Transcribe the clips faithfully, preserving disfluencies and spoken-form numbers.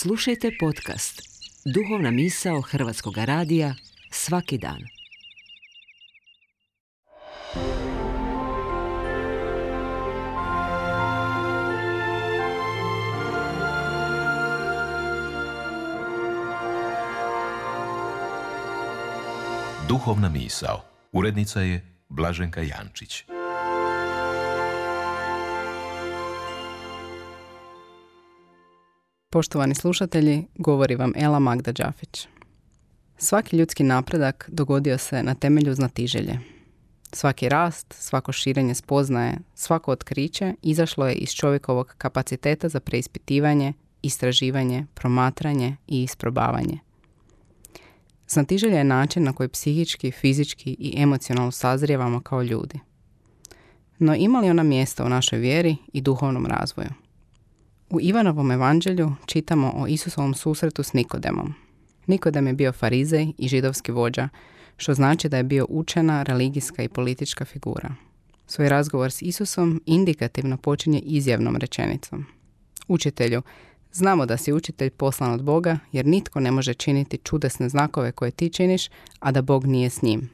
Slušajte podcast Duhovna misao Hrvatskog radija svaki dan. Duhovna misao. Urednica je Blaženka Jančić. Poštovani slušatelji, govori vam Ela Magda Đafić. Svaki ljudski napredak dogodio se na temelju znatiželje. Svaki rast, svako širenje spoznaje, svako otkriće izašlo je iz čovjekovog kapaciteta za preispitivanje, istraživanje, promatranje i isprobavanje. Znatiželja je način na koji psihički, fizički i emocionalno sazrijevamo kao ljudi. No ima li ona mjesta u našoj vjeri i duhovnom razvoju? U Ivanovom evanđelju čitamo o Isusovom susretu s Nikodemom. Nikodem je bio farizej i židovski vođa, što znači da je bio učena, religijska i politička figura. Svoj razgovor s Isusom indikativno počinje izjavnom rečenicom. Učitelju, znamo da si učitelj poslan od Boga, jer nitko ne može činiti čudesne znakove koje ti činiš, a da Bog nije s njim.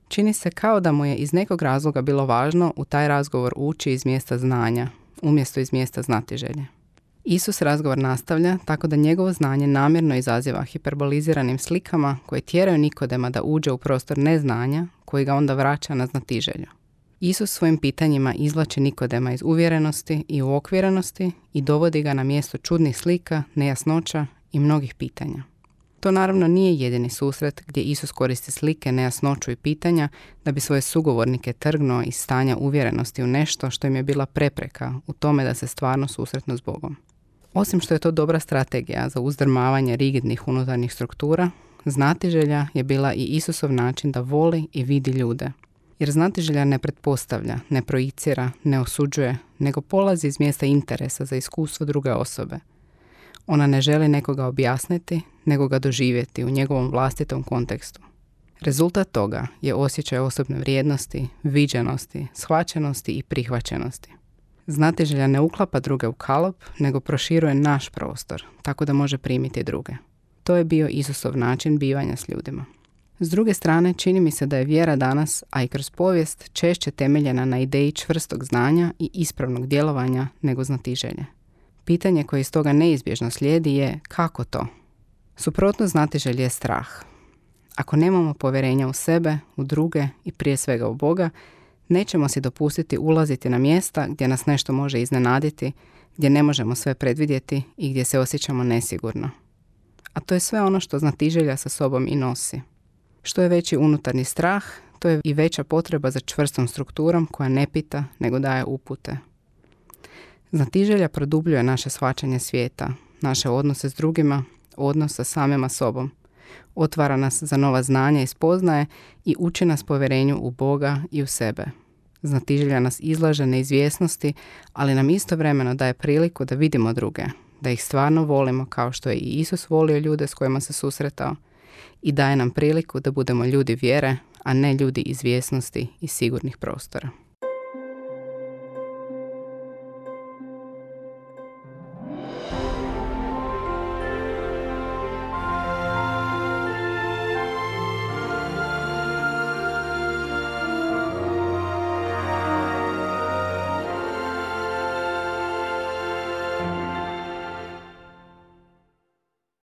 Čini se kao da mu je iz nekog razloga bilo važno u taj razgovor ući iz mjesta znanja, umjesto iz mjesta znatiželje. Isus razgovor nastavlja tako da njegovo znanje namjerno izaziva hiperboliziranim slikama koje tjeraju Nikodema da uđe u prostor neznanja koji ga onda vraća na znatiželju. Isus svojim pitanjima izvlači Nikodema iz uvjerenosti i uokvirenosti i dovodi ga na mjesto čudnih slika, nejasnoća i mnogih pitanja. To naravno nije jedini susret gdje Isus koristi slike, nejasnoću i pitanja da bi svoje sugovornike trgnuo iz stanja uvjerenosti u nešto što im je bila prepreka u tome da se stvarno susretnu s Bogom. Osim što je to dobra strategija za uzdrmavanje rigidnih unutarnjih struktura, znatiželja je bila i Isusov način da voli i vidi ljude. Jer znatiželja ne pretpostavlja, ne projicira, ne osuđuje, nego polazi iz mjesta interesa za iskustvo druge osobe. Ona ne želi nekoga objasniti, nego ga doživjeti u njegovom vlastitom kontekstu. Rezultat toga je osjećaj osobne vrijednosti, viđenosti, shvaćenosti i prihvaćenosti. Znatiželja ne uklapa druge u kalop, nego proširuje naš prostor, tako da može primiti druge. To je bio Isusov način bivanja s ljudima. S druge strane, čini mi se da je vjera danas, a i kroz povijest, češće temeljena na ideji čvrstog znanja i ispravnog djelovanja nego znatiželje. Pitanje koje iz toga neizbježno slijedi je kako to? Suprotno znatiželje je strah. Ako nemamo povjerenja u sebe, u druge i prije svega u Boga, nećemo si dopustiti ulaziti na mjesta gdje nas nešto može iznenaditi, gdje ne možemo sve predvidjeti i gdje se osjećamo nesigurno. A to je sve ono što znatiželja sa sobom i nosi. Što je veći unutarnji strah, to je i veća potreba za čvrstom strukturom koja ne pita, nego daje upute. Znatiželja produbljuje naše shvaćanje svijeta, naše odnose s drugima, odnos sa samima sobom. Otvara nas za nova znanja i spoznaje i uči nas povjerenju u Boga i u sebe. Znatiželja nas izlaže neizvjesnosti, ali nam istovremeno daje priliku da vidimo druge, da ih stvarno volimo kao što je i Isus volio ljude s kojima se susretao i daje nam priliku da budemo ljudi vjere, a ne ljudi izvjesnosti i sigurnih prostora.